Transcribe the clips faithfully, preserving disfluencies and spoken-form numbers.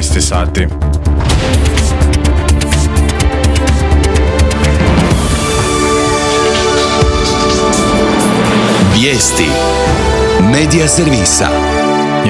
jedanaest sati. Vijesti Medija servisa.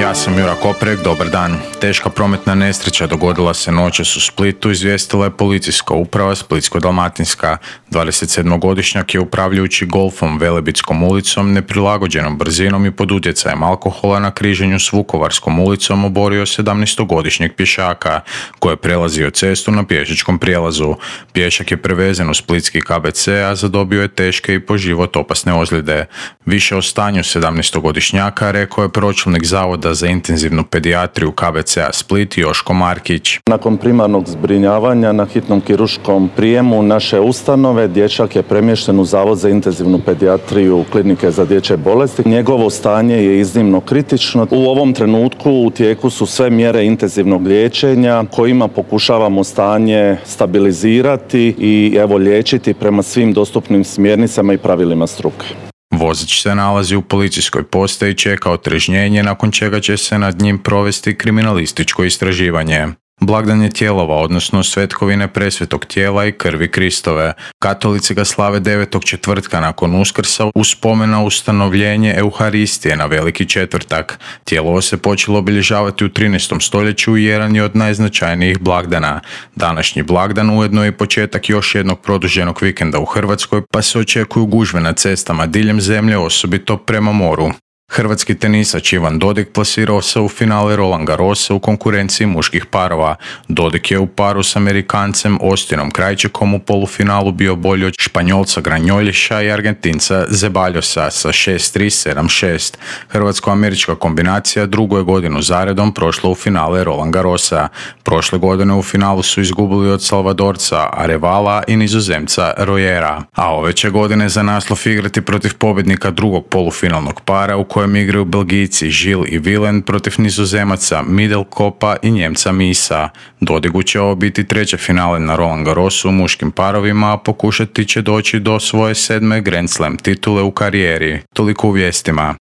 Ja sam Jura Koprek, dobar dan. Teška prometna nesreća dogodila se noćas u Splitu, izvijestila je policijska uprava Splitsko-dalmatinska. dvadesetsedmogodišnjak je upravljajući golfom Velebitskom ulicom, neprilagođenom brzinom i pod utjecajem alkohola na križanju s Vukovarskom ulicom oborio sedamnaestogodišnjeg pješaka koji je prelazio cestu na pješačkom prijelazu. Pješak je prevezen u splitski K B C, a zadobio je teške i po život opasne ozljede. Više o stanju sedamnaestogodišnjaka rekao je pročelnik Zavoda za intenzivnu pedijatriju K B C-a Split Joško Markić. Nakon primarnog zbrinjavanja na hitnom kirurškom prijemu naše ustanove, dječak je premješten u Zavod za intenzivnu pedijatriju Klinike za dječje bolesti. Njegovo stanje je iznimno kritično. U ovom trenutku u tijeku su sve mjere intenzivnog liječenja kojima pokušavamo stanje stabilizirati i evo liječiti prema svim dostupnim smjernicama i pravilima struke. Vozač se nalazi u policijskoj postaji i čeka otrežnjenje, nakon čega će se nad njim provesti kriminalističko istraživanje. Blagdan je tijelova, odnosno svetkovine presvetog tijela i krvi Kristove. Katolici ga slave devetog četvrtka nakon Uskrsa u spomen na ustanovljenje Euharistije na Veliki četvrtak. Tijelovo se počelo obilježavati u trinaestom stoljeću i jedan je od najznačajnijih blagdana. Današnji blagdan ujedno je početak još jednog produženog vikenda u Hrvatskoj, pa se očekuju gužve na cestama diljem zemlje, osobito prema moru. Hrvatski tenisač Ivan Dodig plasirao se u finale Roland Garrosa u konkurenciji muških parova. Dodig je u paru s Amerikancem Austinom Krajčikom u polufinalu bio bolji od Španjolca Granjolješa i Argentinca Zeballosa sa šest tri sedam šest. Hrvatsko-američka kombinacija drugu je godinu zaredom prošla u finale Roland Garrosa. Prošle godine u finalu su izgubili od Salvadorca Arevala i Nizozemca Royera. A ove će godine za naslov igrati protiv pobjednika drugog polufinalnog para u kojem igraju Belgijci Žil i Vilen protiv Nizozemaca Middelkopa i Njemca Misa. Dodigu će ovo biti treće finale na Roland Garrosu u muškim parovima, a pokušati će doći do svoje sedme Grand Slam titule u karijeri. Toliko u vijestima.